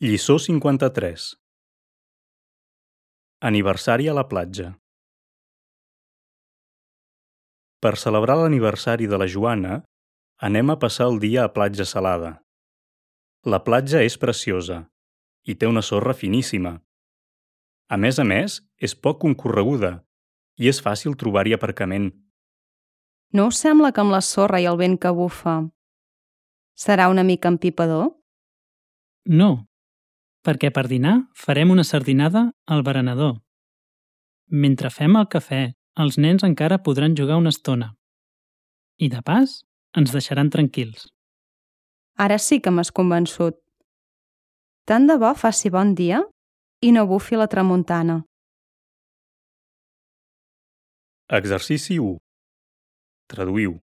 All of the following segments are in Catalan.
Lliçó 53. Aniversari a la platja. Per celebrar l'aniversari de la Joana, anem a passar el dia a Platja Salada. La platja és preciosa i té una sorra finíssima. A més, és poc concorreguda i és fàcil trobar-hi aparcament. No us sembla que amb la sorra i el vent que bufa serà una mica empipador? No, perquè per dinar farem una sardinada al berenador. Mentre fem el cafè, els nens encara podran jugar una estona. I de pas, ens deixaran tranquils. Ara sí que m'has convençut. Tant de bo faci bon dia i no bufi la tramuntana. Exercici 1. Traduïu.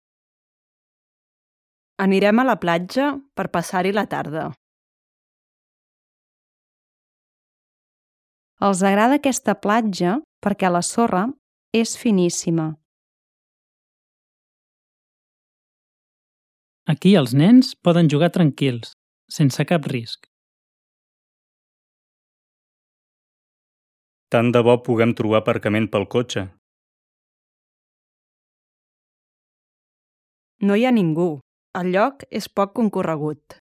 Anirem a la platja per passar-hi la tarda. Els agrada aquesta platja perquè la sorra és finíssima. Aquí els nens poden jugar tranquils, sense cap risc. Tant de bo puguem trobar aparcament pel cotxe. No hi ha ningú. El lloc és poc concorregut.